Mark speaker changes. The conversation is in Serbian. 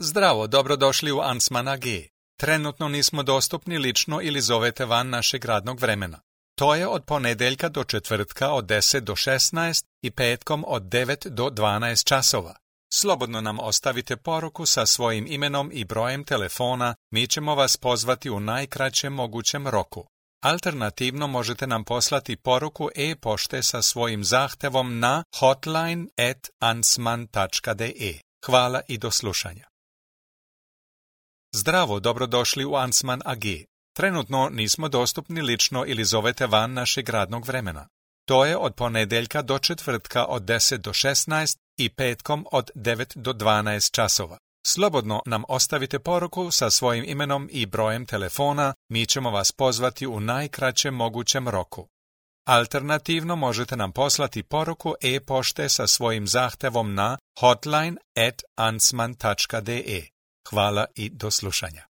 Speaker 1: Zdravo, dobrodošli u Ansman AG. Trenutno nismo dostupni lično ili zovete van našeg radnog vremena. To je od ponedeljka do četvrtka od 10 do 16 i petkom od 9 do 12 časova. Slobodno nam ostavite poruku sa svojim imenom i brojem telefona, mi ćemo vas pozvati u najkraćem mogućem roku. Alternativno možete nam poslati poruku e-pošte sa svojim zahtevom na hotline@ansman.de. Hvala i do slušanja. Zdravo, dobrodošli u Ansman AG. Trenutno nismo dostupni lično ili zovete van našeg radnog vremena. To je od ponedeljka do četvrtka od 10 do 16 i petkom od 9 do 12 časova. Slobodno nam ostavite poruku sa svojim imenom i brojem telefona, mi ćemo vas pozvati u najkraćem mogućem roku. Alternativno možete nam poslati poruku e-pošte sa svojim zahtevom na hotline@ansman.de. Hvala i do slušanja.